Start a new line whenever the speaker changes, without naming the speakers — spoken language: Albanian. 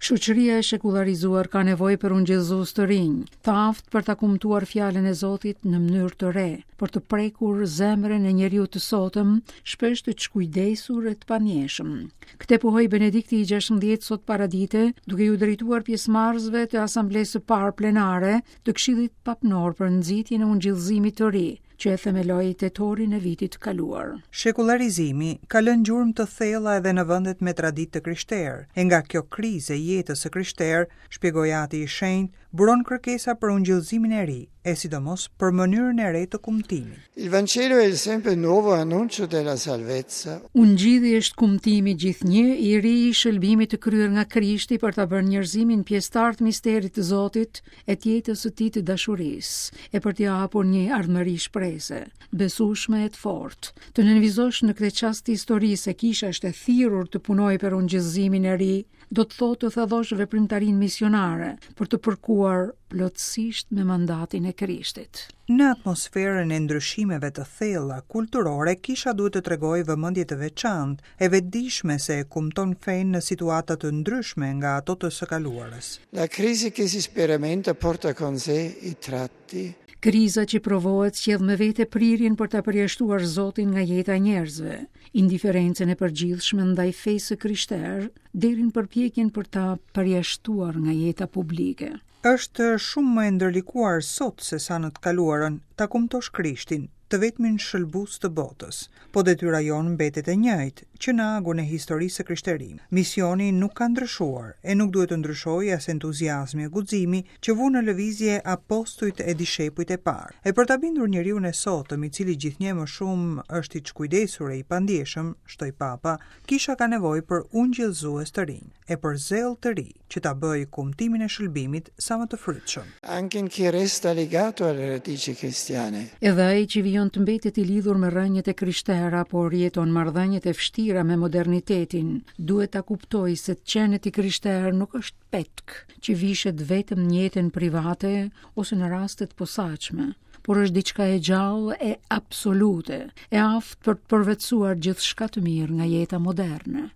Shoqëria e shekullarizuar ka nevojë për ungjillëzues të rinj, të aftë për ta kumtuar fjalën e Zotit në mënyrë të re, për të prekur zemrën e njeriut të sotëm, shpesh të çkujdesur e të pandjeshëm. Këtë pohoi Benedikti i 16 sot paradite, duke iu drejtuar pjesëmarrësve të Asamblesë së Parë Plenare të Këshillit Papnor për nxitjen e ungjillëzimit të ri, që e themeloi tetorin e vitit të kaluar.
Shekullarizimi ka lënë gjurmë të thella edhe në vendet me traditë të krishterë, e nga kjo krizë e jetës së krishterë, shpjegoi Ati i Shenjtë, buron kërkesa për ungjillëzimin e ri, e sidomos për mënyrën e re të kumtimit.
Il Vangelo è il sempre nuovo annuncio della salvezza.
Ungjilli është kumtimi gjithnjë i ri i shëlbimit të kryer nga Krishti për ta bërë njerëzimin pjesëtar të misterit të Zotit e të jetës së tij të dashurisë, e për t'i hapur një ardhmëri shprese, të besueshme e të fortë. Të nënvizosh në këtë çast të historisë se kisha është e thirrur të punojë për ungjillëzimin e ri, do të thotë të thellosh veprimtarinë misionare për të përkuar plotësisht me mandatin e
Krishtit. Në atmosferën e ndryshimeve të thella kulturore, kisha duhet të tregojë vëmendje të veçantë, e vetëdijshme se e kumton fenë në situata të ndryshme nga ato të së
kaluarës. La crisi che si sperimenta porta con sé i tratti.
Kriza që provohet sjell me vete prirjen për ta përjashtuar Zotin nga jeta e njerëzve, indiferencën e përgjithshme ndaj fesë së krishterë, deri në përpjekjen për ta përjashtuar nga jeta publike.
Është shumë më e ndërlikuar sot se sa në të kaluarën, ta kumtosh Krishtin, të vetmin shëlbues të botës. Po detyra jonë mbetet e njëjtë, që në agun e historisë së krishterimit. Misioni nuk ka ndryshuar, e nuk duhet të ndryshojë as entuziazmi e guximi që vunë në lëvizje apostujt e dishepujt e parë. E për ta bindur njeriun e sotëm, i cili gjithnjë e më shumë është i çkujdesur e i pandjeshëm, shtoi Papa, kisha ka nevojë për ungjillëzues të rinj, e për zell të ri. që ta bëjë kumtimin e shëlbimit sa më të
frytshëm. Anche in chi resta legato alle radici cristiane.
Edhe ai që vijon të mbetet i lidhur me rrënjët e krishtera, por jeton marrëdhëniet e vështira me modernitetin, duhet ta kuptojë se të qenët i krishterë nuk është petk që vishet vetëm në jetën private ose në raste të posaçme, por është diçka e gjallë e absolute, e aftë për të përvetësuar gjithçka të mirë nga jeta moderne.